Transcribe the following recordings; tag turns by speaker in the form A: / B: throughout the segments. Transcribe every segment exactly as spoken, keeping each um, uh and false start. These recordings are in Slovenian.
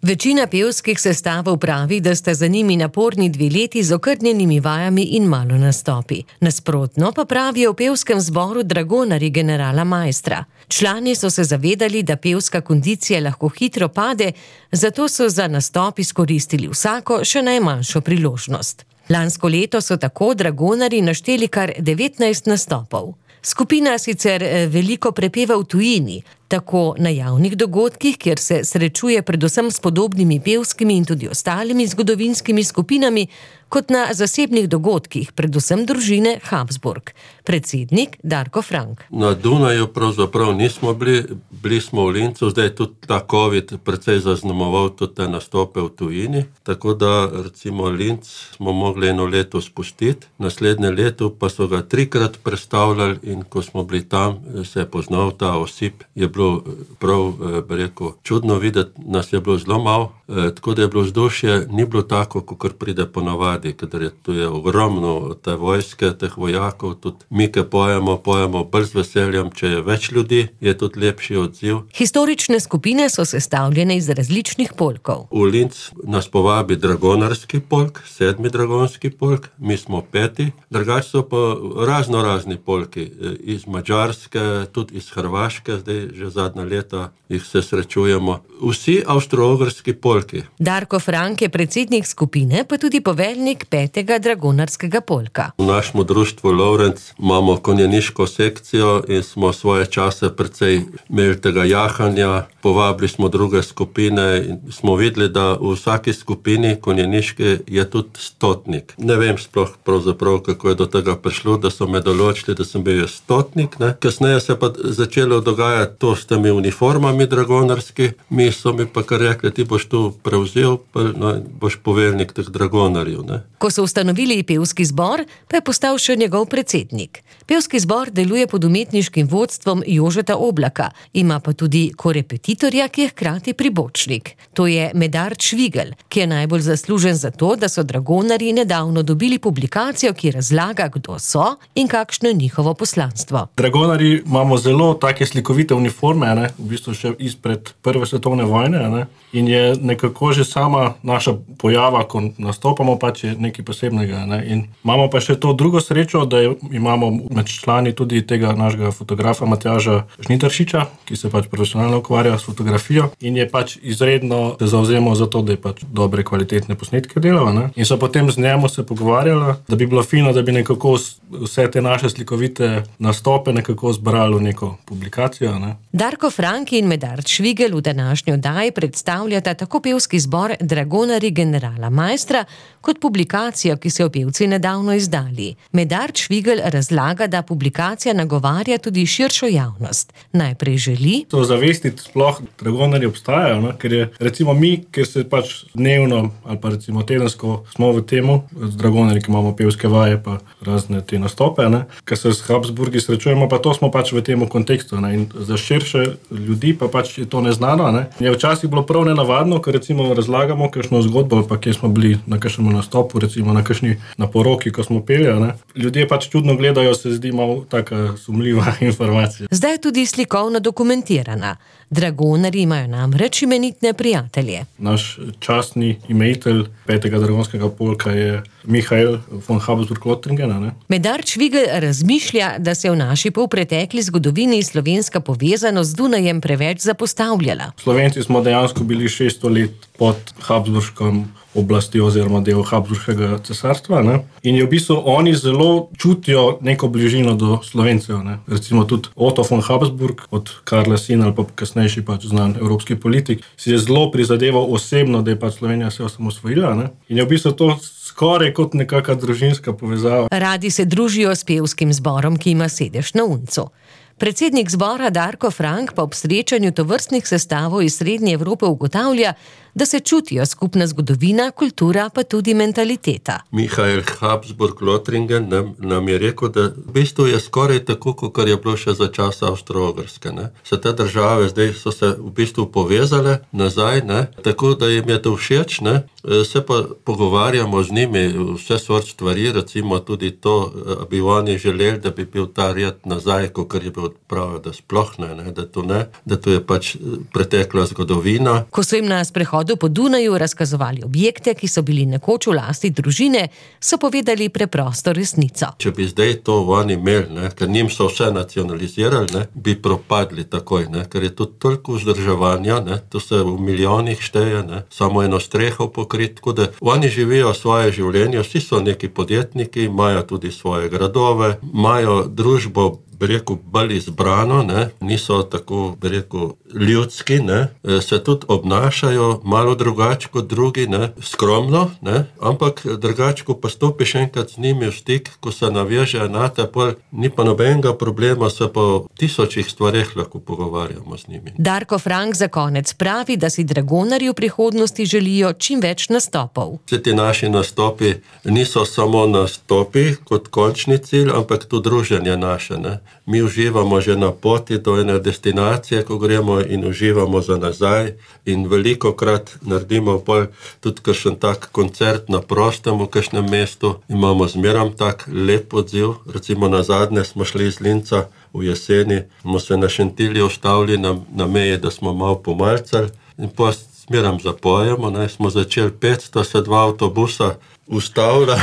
A: Večina pevskih sestavov pravi, da sta za njimi naporni dve leti z okrnjenimi vajami in malo nastopi. Nasprotno pa pravijo v pevskem zboru Dragonarji generala Maistra. Člani so se zavedali, da pevska kondicija lahko hitro pade, zato so za nastop izkoristili vsako, še najmanjšo priložnost. Lansko leto so tako Dragonarji našteli kar devetnajst nastopov. Skupina sicer veliko prepeva v tujini, tako na javnih dogodkih, kjer se srečuje predvsem s podobnimi pevskimi in tudi ostalimi zgodovinskimi skupinami, kot na zasebnih dogodkih, predvsem družine Habsburg. Predsednik Darko Frank.
B: Na Dunaju pravzaprav nismo bili, bili smo v Lincu, zdaj tudi ta COVID precej zaznamoval tudi te nastope v tujini, tako da recimo Linc smo mogli eno leto spustiti, naslednje leto pa so ga trikrat prestavljali in ko smo bili tam, se je poznal ta osip, je bilo prav, bi rekel, čudno videti, nas je bilo zelo malo, tako da je bilo vzdušje, ni bilo tako, kot pride ponavadi, ker je tu je ogromno te vojske, teh vojakov, tudi mi, ki pojemo, pojemo bolj z veseljem, če je več ljudi, je tudi lepši odziv.
A: Historične skupine so sestavljene iz različnih polkov.
B: V Linz nas povabi Dragonarski polk, sedmi Dragonski polk, mi smo peti, drugače so pa razno razni polki, iz Madžarske, tudi iz Hrvaške, zdaj že zadnja leta jih se srečujemo. Vsi avstro-ogrski polki.
A: Darko Frank je predsednik skupine, pa tudi poveljnik petega Dragonarskega polka.
B: V našem društvu Lovrenc imamo konjeniško sekcijo in smo svoje čase precej imeli tega jahanja, povabili smo druge skupine in smo videli, da v vsaki skupini konjeniške je tudi stotnik. Ne vem sploh pravzaprav, kako je do tega prišlo, da so me določili, da sem bil stotnik. Ne? Kasneje se pa začelo dogajati to s temi uniformami dragonarski, mi so mi pa kar rekli, ti boš tu prevzel, pa no, boš poveljnik teh dragonarjev. Ne?
A: Ko so ustanovili pevski zbor, pa je postal še njegov predsednik. Pevski zbor deluje pod umetniškim vodstvom Jožeta Oblaka, ima pa tudi korepetitorja, ki je hkrati pribočnik. To je Medard Švigelj, ki je najbolj zaslužen za to, da so Dragonarji nedavno dobili publikacijo, ki razlaga, kdo so in kakšno je njihovo poslanstvo.
C: Dragonarji imamo zelo take slikovite uniforme, ne? V bistvu še izpred prve svetovne vojne, ne? In je nekako že sama naša pojava, ko nastopamo, pač je nekaj posebnega. Ne? In imamo pa še to drugo srečo, da imamo med člani tudi tega našega fotografa Matjaža Žnidaršiča, ki se pač profesionalno ukvarja s fotografijo in je pač izredno se zavzemal za to, da je pač dobre kvalitetne posnetke delal. Ne? In so potem z njemu se pogovarjala, da bi bilo fino, da bi nekako vse te naše slikovite nastope nekako zbrali v neko publikacijo. Ne?
A: Darko Frank in Medard Švigelj v današnji oddaji predstavljata tako pevski zbor Dragonarji generala Maistra, kot publikacijo, ki so jo pevci nedavno izdali. Medard Švigelj razlaga, da publikacija nagovarja tudi širšo javnost. Najprej želi
C: to zavestiti, sploh Dragonarji obstajajo, no? Ker je recimo mi, ker se pač dnevno ali pa recimo tedensko smo v temu, z Dragonarji, ki imamo pevske vaje pa razne te nastope, ne? Ker se s Habsburgi srečujemo, pa to smo pač v temu kontekstu, ne? In za širše ljudi pa pač je to neznano, ne? Je včasih bilo prav nenavadno, ker recimo razlagamo kakšno zgodbo, pa kje smo bili na kakšnem nastopu, recimo na kakšni na poroki, ko smo peli, ne? Ljudje pač čudno gledajo, se zdi malo taka sumljiva informacija.
A: Zdaj je tudi slikovno dokumentirana. Dragonarji imajo namreč imenitne prijatelje.
C: Naš častni imejitelj petega Dragonskega polka je Mihael von Habsburg-Lothringen. Ne?
A: Medard Švigelj razmišlja, da se je v naši polpretekli zgodovini slovenska povezanost z Dunajem preveč zapostavljala.
C: Slovenci smo dejansko bili šeststo let pod Habsburškom oblasti oziroma del Habsburškega cesarstva. Ne? In je v bistvu oni zelo čutijo neko bližino do Slovencev. Ne? Recimo tudi Otto von Habsburg, od Karla sin ali pa kasnejši pač znan evropski politik, si je zelo prizadeval osebno, da je pač Slovenija se osamosvojila. Ne? In je v bistvu to skoraj kot nekaka družinska povezava.
A: Radi se družijo s pevskim zborom, ki ima sedež na Uncu. Predsednik zbora Darko Frank pa ob srečanju tovrstnih sestavov iz Srednje Evrope ugotavlja, da se čutijo skupna zgodovina, kultura pa tudi mentaliteta.
B: Mihael Habsburg-Lothringen nam, nam je rekel, da v bistvu je skoraj tako, kot je bilo še za časa Avstro-Ogrske. Se te države zdaj so se v bistvu povezale nazaj, ne? Tako da jim je to všeč, ne? Se pa pogovarjamo z njimi vse sort stvari, recimo tudi to, bi oni želeli, da bi bil ta red nazaj, kot je bil pravijo, da sploh ne, ne, da to ne, da to je pač pretekla zgodovina.
A: Ko so jim na sprehodu po Dunaju razkazovali objekte, ki so bili nekoč v lasti družine, so povedali preprosto resnico.
B: Če bi zdaj to oni imeli, ne, ker njim so vse nacionalizirali, ne, bi propadli takoj, ne, ker je to toliko vzdrževanja, ne, to se v milijonih šteje, ne, samo eno streho pokrit, tako da oni živijo svoje življenje, vsi so neki podjetniki, imajo tudi svoje gradove, imajo družbo, bi rekel, bolj izbrano, ne, niso tako, bi rekel, ljudski, ne, se tudi obnašajo malo drugače kot drugi, ne, skromno, ne, ampak drugače, ko pa stopiš enkrat z njimi v stik, ko se navežejo na te, pol ni pa nobenega problema, se po tisočih stvareh lahko pogovarjamo z njimi.
A: Darko Frank za konec pravi, da si Dragonarji v prihodnosti želijo čim več nastopov.
B: Vsi ti naši nastopi niso samo nastopi kot končni cilj, ampak tudi druženje naše, ne. Mi uživamo že na poti do ene destinacije, ko gremo in uživamo za nazaj in velikokrat naredimo pol tudi kakšen tak koncert na prostem v kakšnem mestu. Imamo zmeram tak lep odziv, recimo nazadnje smo šli iz Linca v jeseni, smo se na Šentilju ustavili na, na meji, da smo malo pomalcali in pa zmeram zapojemo, ne, smo začeli petsto, se dva avtobusa ustavlja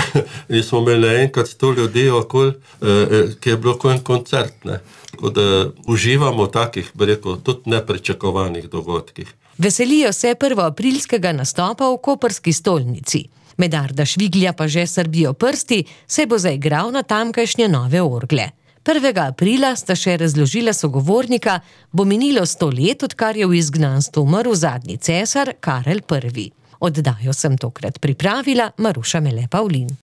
B: in smo imeli naenkrat sto ljudi okoli, eh, ki je bilo kot en koncert, ne. Tako da uživamo v takih, bi rekel, tudi nepričakovanih dogodkih.
A: Veselijo se prvoaprilskega nastopa v koprski stolnici. Medarda Šviglja pa že srbijo prsti, saj bo zaigral na tamkajšnje nove orgle. prvega aprila sta še razložila sogovornika, bo minilo sto let, odkar je v izgnanstvu umrl zadnji cesar Karel Prvi. Oddajo sem tokrat pripravila Maruša Mele Pavlin.